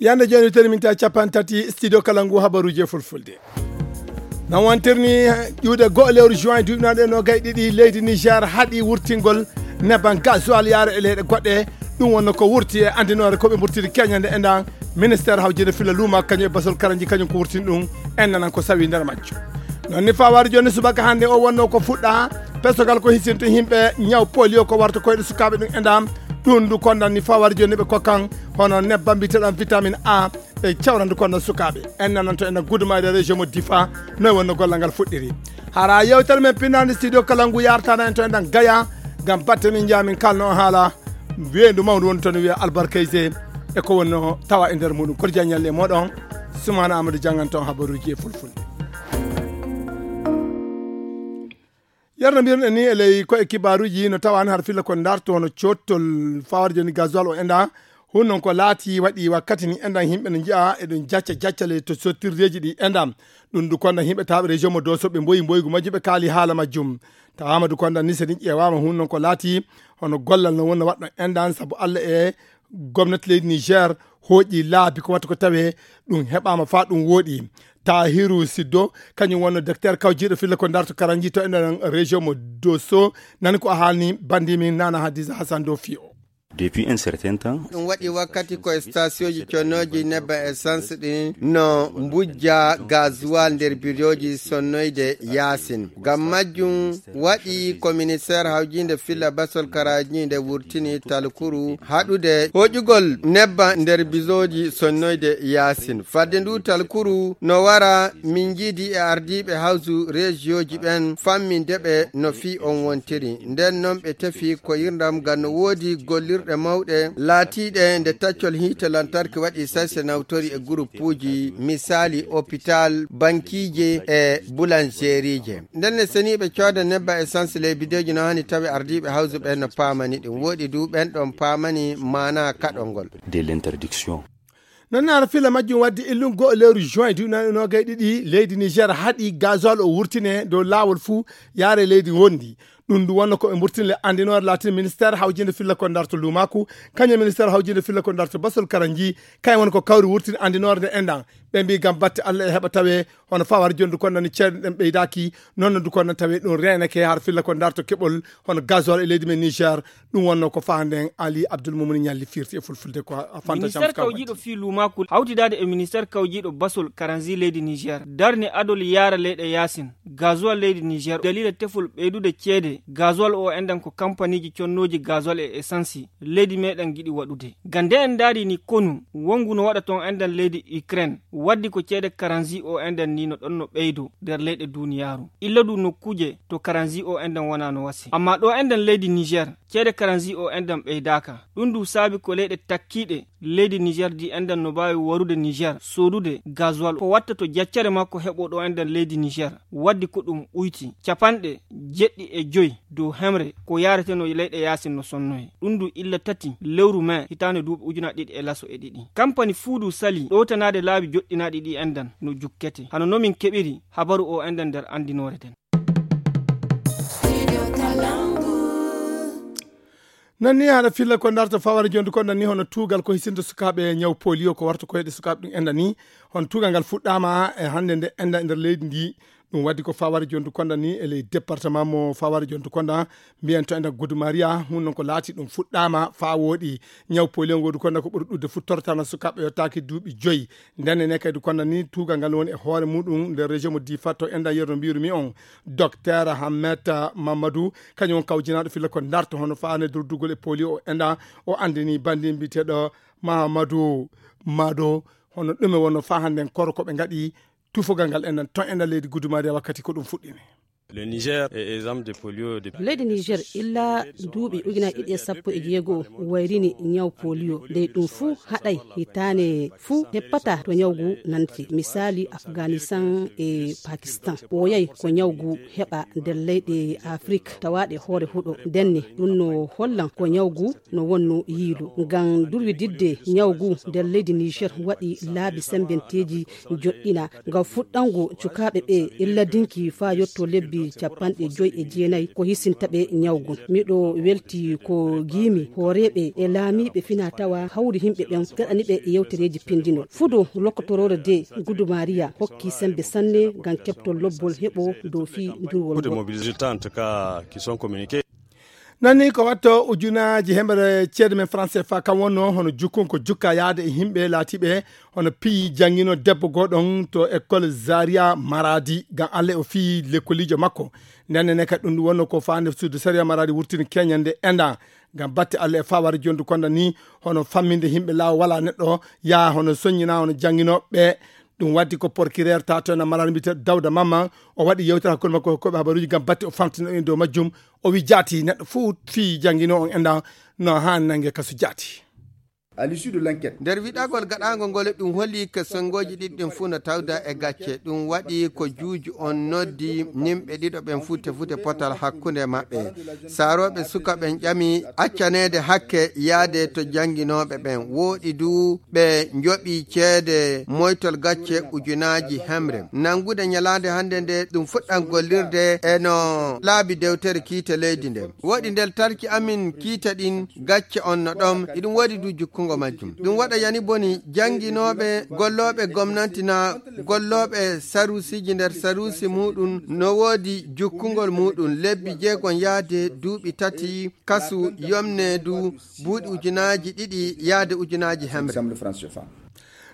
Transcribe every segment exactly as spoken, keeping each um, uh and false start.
Yande jooni, teni min tawi capanɗe tati studio kala ngu habaruuji e fulfulde. No wontirni ƴuude go'o lewru juin duuɓi noon e noogay ɗiɗi, leydi Niger haɗi wurtingol nebbam gasoil yaare e leyɗe goɗɗe. Ɗum wonno ko wurti e anndinoore ko ɓe mburtiri keñande e ndan ministère hawjinde filla luuma kañum e basol karanji kañum ko wurtini ɗum. En nanan ko sawi nder majjo. Noon ni fawari jooni subaka hannde o wonno ko fuɗɗa pesogal ko hisinto yimɓe ñaw polio ko warta koyɗe sukaaɓe ɗum e ndan. Ɗum ndu kondan ni fawari jooni ɓe kokkan hono nebbam mbiteɗam vitamine A e cawrandu kono sukaaɓe. En nananto en gudumaade région mo Difa, noy wonno gollal ngal fuɗɗiri. Hara yewtere men pinnaande studio kala ngu yartana en to en ɗan Gaya, ngam batte min njaamin kalno haala weendu mawndu woni toon wiya albarkayse e ko wonno tawa e nder muɗum. Koto jaññalle e moɗon, Sumana Amadou janngan toon habaruuji e fulfulde. Yerno mbiruɗen ni e ley ko e kibaaruuji no tawani har filla ko ndarto hono cottol fawar joni gasoil o enda. Hun non ko laati waɗi wakkati ni endan himɓe no njiya eɗon jacca jaccale to sottirdeji ɗi endam. Ɗum du konda himɓe taɓe région mo doso ɓe mboyi mboygu majjum ɓe kaali haala majjum. Tawama du konda ni seni ƴeewama hun non ko laati hono gollal no wonno waɗɗo endan sabu Allah e gomnati leydi Niger hooƴi laabi ko watta ko tawe ɗum heɓama fa ɗum wooɗi. Tahiru Siddo kañum wonno docteur kawjiɗo filla ko darto karanji to enen région mo Dosso. Nani ko a haalni bandimi Nana Hadiza Hassan do fiyo. Depuis un certain temps. Ɗum waɗi wakkati ko stationji connoji nebba essence ɗin no mbujja gasoil nder biroji sonnoyde yasin. Ngam majjum waɗi ko ministère hawjinde filla basol karaji nde wurtini talkuru haɗude hoƴugol nebba nder bizoji sonnoyde yasin. Fadde ndu talkuru no wara min jiidi e ardiiɓe hawsu rejiyooji ɓen famminde ɓe no fii on wontiri. Nden non ɓe tefi koyirndam ngam no woodi gollirɗe mawɗe laatiiɗe nde taccol hiite lantarki waɗi sayse nawtori e gurupuuji, misaali opital, bankiije e bulanjeriije. Nden ne seniiɓe cooda nebba essence ley bideeji no hani tawi ardiiɓe hawsu ɓen no paamani ɗum. Woɗi du ɓen ɗon paamani maana kaɗol ngol. De l'interdiction. Noon ara fila majjum waddi illum go'o lewru juin duuɓi noogay ɗiɗi leydi Niger haɗi gasoil o wurtine dow laawol fuu yaare leydi wondi. Ɗum ndu wonno ko ɓe mburtini le anndinoore laatini ministère hawjinde filla ko ndarto luumaku, kañum ministère hawjinde filla ko ndarto basol karanji, kañum woni ko kawri wurtini anndinoore nde enɗan. Ɓe mbi ngam batte Allah e heɓa tawe hono fawar jondu kon nani ceeɗe ɗen ɓeydaaki, noon no du kon nani tawe ɗum reenake har filla ko ndarto keɓol hono gasoil e leydi men Niger. Ɗum wonno ko faanden Ali Abdul Mumuni ñalli firti e fulfulde ko a fanta ministère kawjiiɗo fii luumaku hawtidaade e ministère kawjiiɗo basol karanzi leydi Niger darni adol yaara leyɗe yaasin gasoil leydi Niger dalila tefol ɓeydude ceede gasoil o enɗan ko kampaniji connooji gasoil e essence leydi meɗen giɗi waɗude. Gande en ndaari ni konu wongu no waɗa ton enɗan leydi Ukraine waddi ko ceede karanzi o enɗan ni no ɗon no ɓeydo nder leyɗe duniyaaru. Illa du nokkuuje to karanzi o enɗan wona no wasi. Amma ɗo enɗan leydi Niger ceede karanzi o enɗan ɓeydaaka. Ɗum du saabi ko leyɗe takkiiɗe leydi Niger di enɗan no mbaawi warude Niger soodude gasoil ko watta to jaccere makko heɓo ɗo enɗan leydi Niger. Waddi ko ɗum ɓuyti capanɗe jeɗɗi e joy dow hemre ko yareteno leyɗe yaasin no sonnoye. Ɗum du illa tati lewru mai hitaande duuɓi ujuna ɗiɗi e laso e ɗiɗi. Kampani fuudu sali ɗowtanaade laabi joɗɗinaaɗi ɗi enɗan no jukkete. Hano no min keɓiri habaru o enɗan nder anndinoore den. Nan ni haɗa filla ko darto fawara jondu kon nan ni hono tugal ko hisinto sukaaɓe ñaw polio ko warta koyɗe sukaaɓe ɗum enɗan ni. Hono tugal ngal fuɗɗama e hannde nde enɗan nder leydi ndi. Ɗum waddi ko fawara jondu konda ni e ley département mo fawara jondu konda mbiyen to enɗan Gudu Maria hun non ko laati ɗum fuɗɗama fa wooɗi. Ñaw polio ngodu konda ko ɓuri ɗudde fu tortana sukaaɓe yottaaki duuɓi joyi. Nden ne kadi konda ni tugal ngal woni e hoore muɗum nder région mo Difa to enɗan yerno mbiyru mi on docteur Hammet Mamadou kañum on kawjinaaɗo filla ko darto hono faane durdugol e polio o enɗan o andini bandi mbiteɗo Mahamadou Mado hono ɗume wonno fa hannden koro ko ɓe ngaɗi tufogal ngal enɗan ton enɗan leydi Gudu Maria wakkati ko ɗum fuɗɗini. Le Niger est exempt de polio depuis leydi Niger illa duuɓi ujunaaji ɗiɗi e sappo e jeego wayrini ñaw polio. Ndey ɗum fuu haɗay hitaane fuu heppata to ñawgu nanti. Misaali Afghanistan e Pakistan. Ɓooyay ko ñawgu heɓa nder leyɗe Afrik tawaaɗe hoore huɗo. Ndenne ɗum no hollan ko ñawgu no wonno yiilu. Ngam durwididde ñawgu nder leydi Niger waɗi laabi sembenteeji joɗɗina. Ngam fuɗɗango cukaaɓe ɓe illa dinki faa yotto lebbi Capanɗe joyi e jeenayi ko hisinta ɓe ñaw ngun. Miɗo welti ko ngiimi hooreeɓe e laamiiɓe fina tawa hawri yimɓe ɓen gaɗani ɓe yewtereeji pinndinol. Fudo lokkotoroore de Gudumariya hokki semmbe sanne ngam keɓtol lobbol heɓo dow fii ndurwol ngol. Nani ko watto ujunaaji hemre ceede men France fa kam wonno hono jukkun ko jukka yaade e yimɓe laatiiɓe hono piyi janngino debbo goɗon to école Zaria Maradi ngam Alla o fii lekkoliijo makko. Nden ne kadi ɗum ɗum wonno ko faande suudu sariya Maradi wurtini keñande enda ngam batte Alla e fawar jondu konda ni hono famminde yimɓe laawo wala neɗɗo yaa hono soññina hono jannginoɓe. Ɗum waddi ko porkirer tato na Maradi mbiyete Dawda Mamma. O waɗi yewtere hakkunde makko hokkoɓe habaruji ngam batte o famtina en dow majjum. O wi jaati neɗɗo fuu fii janngino on enda no haa nange kasu jaati. Nder wiɗagol gaɗaango ngol ɗum holli ko senngoji ɗiɗi ɗin fuu no tawda e gacce. Ɗum waɗi ko juuju on noddi nimɓe ɗiɗo ɓen fuu tefute potal hakkunde maɓɓe. Saarooɓe suka ɓen ƴami accaneede hakke yaade to jannginooɓe ɓen. Wooɗi du ɓe njoɓi ceede moytol gacce ujunaaji hemre. Nanngude ñalaande hannde nde ɗum fuɗɗan gollirde e no laabi dewtere kiite leydi nden. Wooɗi ndel tarki amin kiite ɗin gacce on no ɗon, iɗum woodi du jukkungo majjum. Ɗum waɗa yani boni jannginooɓe, gollooɓe gomnanti na gollooɓe saruusiji nder saruusi muuɗum no woodi jukkungol muuɗum lebbi jeegon yaade duuɓi tati kasu yomne du buuɗi ujunaaji ɗiɗi yaade ujunaaji hemre.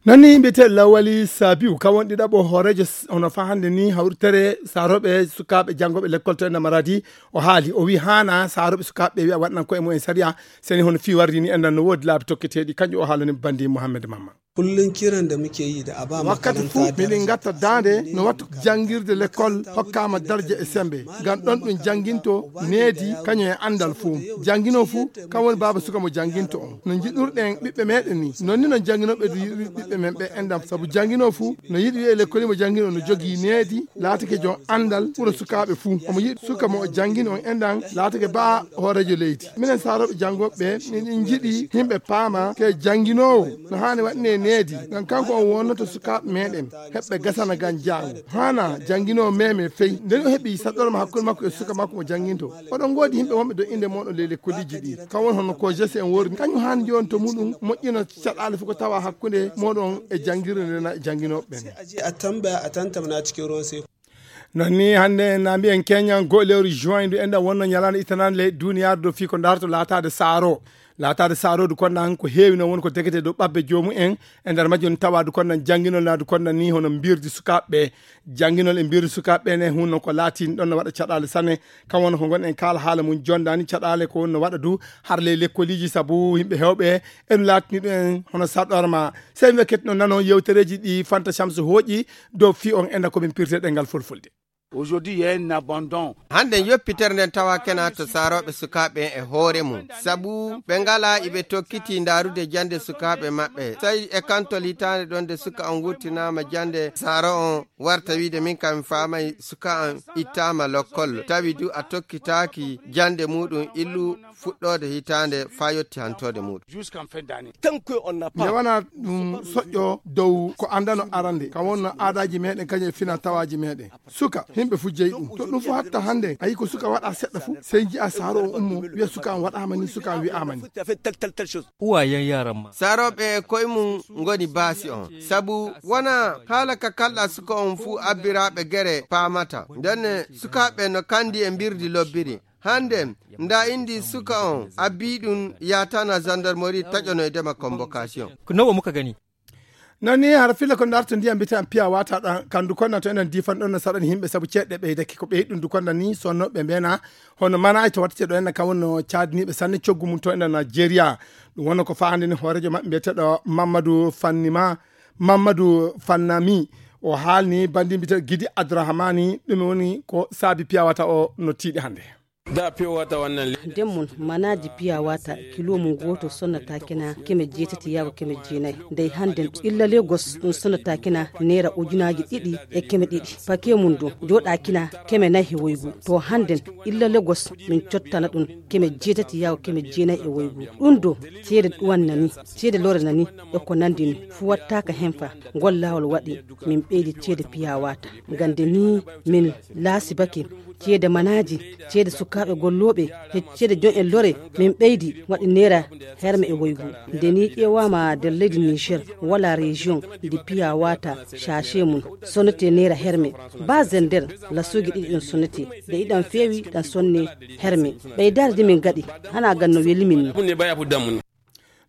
Noon ni mbiyetee Lawali Sabiu, kam woni ɗiɗaɓo hooreejo s-, hono faa hannde ni hawritere saarooɓe sukaaɓe janngooɓe lekkol to ena Maradi. O haali, o wii haana saarooɓe sukaaɓe ɓe wiya waɗnan koye mumen sariya, seni hono fii warri ni enɗan no woodi laabi tokketeeɗi, kanƴum o haalani Banndi Muhammed Mamma. Kullum kiran da muke yi da a ba wakkati makaranta fuu daraja. Miɗen ngatta daande no wattu janngirde lekkol hokkaama darja e semmbe, ngam ɗon ɗum jannginto needi kañum e anndal fuu. Jannginoo fuu, kam woni baaba suka mo jannginto on. No njiɗirɗen ɓiɓɓe meɗen ni, non ni non jannginooɓe du yiɗiri ɓiɓɓe men ɓe enɗan. Sabu jannginoo fuu, no yiɗi wi'e lekkoli mo janngino no jogii needi, laatake jon anndal ɓura sukaaɓe fuu. Omo yiɗi suka mo o janngini on enɗan, laatake baa hooreejo leydi. Minen saarooɓe janngooɓe ɓe, miɗen njiɗi yimɓe paama ke jannginoowo no haani waɗnee needi, ngam kanko on wonnoto sukaaɓe meɗen, heɓɓe gasana ngam jaango. Haana jannginoo meme fey. Nden o heɓi saɗɗorma hakkunde makko e suka makko mo jannginto. Oɗon ngoodi yimɓe wonɓe do innde mooɗon ley lekkoliji ɗi. Kam woni hono ko jese en worri. Kañum haani jooni to muɗum moƴƴina caɗaale fof ko tawa hakkunde mooɗon e janngirde nden e jannginooɓe ɓen. Sai a je a tambaya a tantamna cikin ruwan sai. Non ni hannde en na mbiyen keñan goo lewru juin ndu enɗan wonno ñalaande ittanaande ley duniyaaru do fii ko darto laataade saaro. Laataade saaroodu konnan ko heewi noon woni ko degete dow ɓabbe joomum en. E nder majjum tawa du konnan jannginol na du konnan ni hono mbirdi sukaaɓe ɓe. Jannginol e mbirdi sukaaɓe ɓe ne hunno ko laatini ɗon no waɗa caɗaale sanne. Kam woni ko ngon en kaala haala mum jondaani caɗaale ko woni no waɗa du har ley lekkoliiji sabu yimɓe heewɓe en laatini ɗum en hono saɗɗorma. Sey mi wakkati no nano yewtereeji ɗi Fanta Shamsu hooƴi dow fii on enɗan ko min pirte ɗengal fulfulde. Aujourd'hui, il y a un abandon. Hannden yoppitere nden tawa kena to saarooɓe sukaaɓe e hoore mum. Sabu ɓe ngalaa iɓe tokkiti ndaarude jannde sukaaɓe maɓɓe. Sai e kantol hitaande ɗon nde suka on wurtinaama jannde saaro on warta wiide min kam mi faamay suka on ittaama lokkol. Tawi du a tokkitaaki jannde muuɗum illu fuɗɗoode hitaande faa yotti hantoode muuɗum. Jusqu'en fin d'année. Tant que on n'a pas. Nde wona ɗum soƴƴo dow ko anndano arande, kam wonno aadaaji meɗen kañum e fina tawaaji meɗen. Suka, yimɓe fof jeyi ɗum. To ɗum fof hatta hannde, a yii ko suka waɗa seɗɗa fof, sey njiya saaro on ummo, wiya suka on waɗaama ni, suka on wi'aama ni. Uwayen yaran ma. Saarooɓe e koye mum ngoni baasi on. Sabu wona haala ka kalɗa suka on fuu abbiraaɓe gere paamata. Ndenne sukaaɓe no kandi e mbirdi lobbiri. Hannde, nda indi suka on, abbi ɗum yaatana gendarmerie taƴonoydema convocation. Ko nawa muka gani. Noon ni hara filla ko darto ndiyam mbiyaten piya wata ɗan, kandu konna to enen difan ɗon no saɗani yimɓe sabu ceeɗɗe ɓeydake ko ɓeyɗi ɗum du konna ni sonnoɓe mbena hono manay to watte ɗo enen kam wonno caadiniiɓe sanne coggu mum to enen Nigeria. Ɗum wonno ko faande ni hoorejo maɓɓe mbiyeteɗo Mamadou Fannima, Mamadou Fannami. O haalni banndi mbiyeteɗo Gidi Abdourahmani ɗum woni ko saabi piya wata o no tiiɗi hannde. Da fiye wata wannan le- Nden mun manaaji piya wata kilo mun gooto sonnata kena keme jeetati yago keme jeenayi. Ndey hannden illa Lagos ɗum sonnata kena neera ujunaaji ɗiɗi e keme ɗiɗi. Pake mun du jooɗa kena keme nayi e woygu. To hannden illa Lagos min cottana ɗum keme jeetati yago keme jeenayi e woygu. Ɗum do ceede ɗuwan nani, ceede lore nani e ko nandi ni fu wattaaka hen fa. Ngol laawol waɗi min ɓeydi ceede piya wata. Ngam nde ni min laasibake ceede manaaji, ceede sukaaɓe gollooɓe, e ceede jon en lore, min ɓeydi waɗi neera herme e woygu. Nde ni ƴeewaama nder leydi Niger, wala région ndi piya wata sachet mum sonnete neera herme. Ba Zender, lasuuji ɗiɗi ɗum sonnete, nde iɗan feewi ɗan sonne herme. Ɓeydaade ndi min gaɗi, hana ganno weli min ni.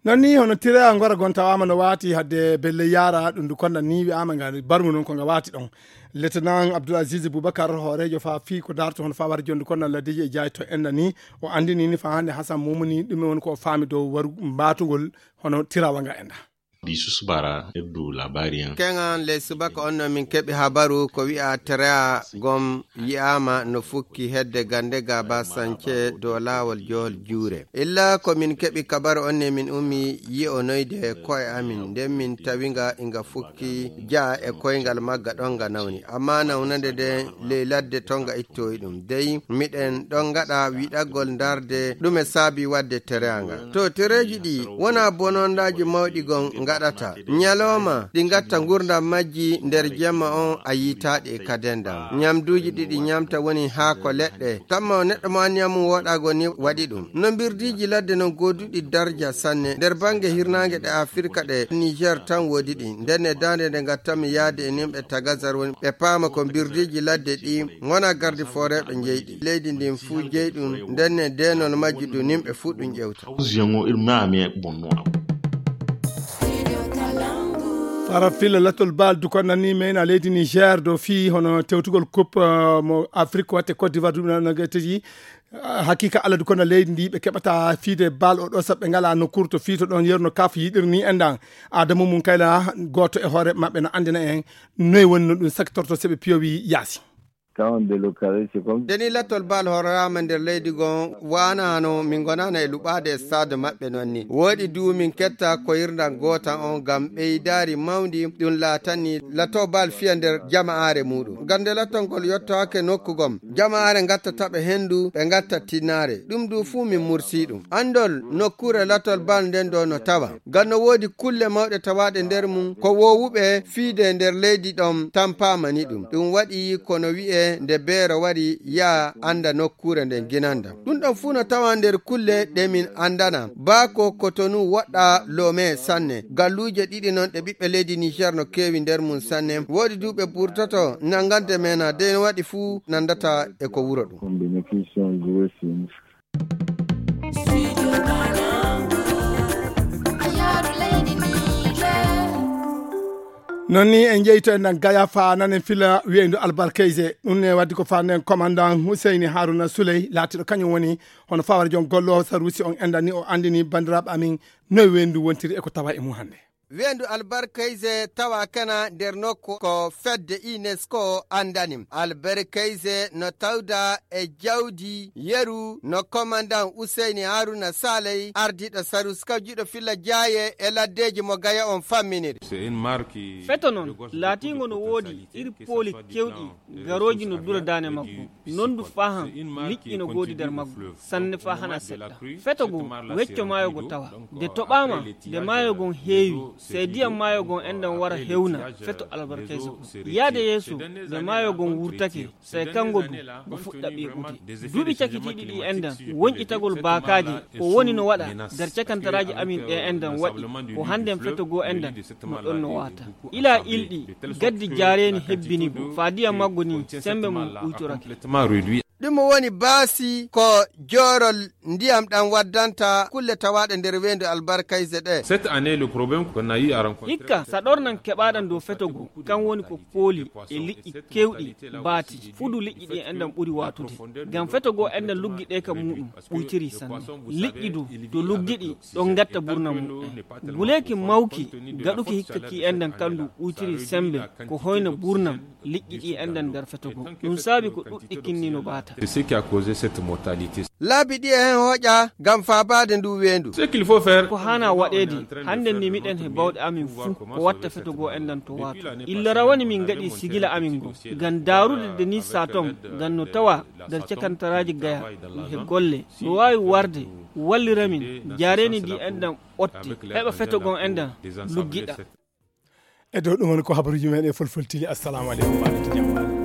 Non ni hono tira ngora gon tawaama no waati hadde belle yaara ɗum ndu konda ni wi'aama nga barmu non ko nga waati ɗon. Lieutenant Abdoulaziz Boubacar, hooreejo fa fii ko daarto hono fa wari jondu konda laddeji e jaay to enda ni, o andini ni fa hannde Hassan Mumuni ɗum woni ko o faami dow waru mbaatugol hono tirawa nga enda. Di susubara heddu labari en. Keŋan ley subaka on no min keɓi habaru ko wi'a Terea gom yi'aama no fukki hedde gande ga ba sance dow laawol johol juure. Illa ko min keɓi kabaru on ne min ummi yi'onoyde ko'e amin. Nden min tawi nga inga fukki ja e koyngal magga ɗon nga nawni. Amma nawnande nde ley ladde ton nga ittoyi ɗum. Dey miɗen ɗon ngaɗa wiɗagol ndarde ɗume saabi wadde tereya nga. To tereji ɗi wona bonondaaji mawɗi gon ngaɗata. Nyalooma ɗi ngatta ngurdam majji nder jemma on a yiitaaɗi e kaden dam. Nyamduuji ɗi ɗi nyamta woni haako leɗɗe. Tamma o neɗɗo mo anniya mum woɗaago ni waɗi ɗum. No mbirdiiji ladde non gooduɗi darja sanne. Nder bannge hirnaange ɗe Afirka ɗe Niger tan woodi ɗi. Nden e daande nde ngattanmi yaade e nimɓe Tagazar woni ɓe paama ko mbirdiiji ladde ɗi ngona gardi fooreeɓe njeyɗi. Leydi ndin fuu jeyɗum nden e deenol majji du nimɓe fuu ɗum ƴewta. Hawsiyango irin na me bonno abu. Fara fila latol bal du kon nani mena leydi Niger do fii hono tewtugol coupe, eh, mo Afrique watte Côte d'Ivoire du na nagataji. Eh, hakika ala du kon na leydi ndi ɓe keɓata fiide bal o ɗo saɓɓe ngala no kurto fii to ɗon yerno kaf yiɗirni endan. Adamu mun kayla gooto e hoore maɓɓe no andina en noy woni no ɗum saktorto seɓe piyowi yaasi. Quand on délocalise, c'est comme Deni lattol bal hororama nder leydi gon waana hano min gonana e luɓaade e stade maɓɓe non ni. Woɗi du min ketta koyirdan gootan on ngam ɓeydaari mawndi ɗum laatani latto bal fiya nder jama'aare muɗum. Ngam nde lattol ngol yottaake nokku gom, jama'aare ngatta taɓe hendu, ɓe ngatta tinnaare. Ɗum du fuu min mursi ɗum. Andol nokkuure lattol bal nden do no tawa. Ngam no woodi kulle mawɗe tawaaɗe nder mum, ko woowuɓe fiide nder leydi ɗon tampaama ni ɗum. Ɗum waɗi ko no wi'e nde beero wari yaa annda nokkuure nden ginanda. Ɗum ɗon fuu no tawa nder kulle ɗe min anndana. Baa ko Kotonu woɗɗa Lome sanne. Galluuje ɗiɗi non ɗe ɓiɓɓe leydi Niger no keewi nder mum sanne. Woodi du ɓe burtoto nangande mena dey no waɗi fuu nandata e ko wuro ɗum. Combination grossing. Non ni en jeyto en nan gaya fa nanen fila wi'endu albarkayse. Ɗum ne waddi ko fa nden commandant Huseyni Haruna Souley laatiɗo kañum woni hono fawara jon gollo sarusi on endani o andini bandiraɓe amin noy wendu wontiri e ko tawa e mum hannde. Weendu albarkayse tawa kana nder nokku ko fedde UNESCO andani. Albarkayse no tawda e jawdi yeru no komandan Useyni Haruna Saley ardiɗo Sarus kawjiɗo filla jaaye e laddeji mo gaya on famminiri. Feto non laatingo no woodi iri pooli kewɗi garooji no dura daane makko. Non du faa han liƴƴi no goodi nder maggu sanne faa hana seɗɗa. Feto goo wecco maayo go tawa. Nde toɓaama nde maayo gon heewi, sey diyam maayo gon enɗan wara hewna feto albarkayse kon. Yaade yeeso nde maayo gon wurtake, sey kango du go fuɗɗa ɓiiɓude. Duuɓi cakitiiɗi ɗi enɗan wonƴitagol baakaaje ko woni no waɗa nder cakantaraaji amin ɗe enɗan waɗi ko hannden feto goo enɗan no ɗon no waata. Ilaa ilɗi gaddi jaareeni hebbini go faa diyam maggo ni sembe mum uytorake. Ɗum woni baasi ko joorol ndiyam ɗam waddanta kulle tawaaɗe nder weendu albarkayse ɗe. Cette année, le problème qu'on a eu à rencontrer Hikka saɗornan keɓaaɗan dow feto goo kan woni ko pooli e liƴƴi kewɗi baati. Fudu liƴƴi ɗi enɗan ɓuri waatude. Ngam feto goo enɗan luggi ɗe ka muuɗum ɓuytiri sanne. Liƴƴi du to luggiɗi ɗon ngatta burnam muɓɓen. Guleeki mawki gaɗuki hikka ki enɗan kandu ɓuytiri sembe ko hoyna burnam liƴƴi ɗi enɗan nder feto goo. Ɗum saabi ko ɗuɗɗi kinni no baata. C'est ce qui a causé cette mortalité. Laabi ɗi e hen hooƴa ngam faabaade ndu weendu. Ce qu'il faut faire. Ko haana waɗeede hannden ni miɗen he bawɗe amin fuu ko watta feto goo enɗan to waatu. Illa rawani min ngaɗi sigila amin ngon ngam daarude de ni saa ton ngam no tawa nder cakantaraaji gaya ɗum he golle no waawi warde wallira min jaareeni ndi enɗan ɓotti heɓa feto goo enɗan luggiɗa. E dow ɗum woni ko habaruuji men e fulfultili. Assalamu aleykum, mbaɗa jam.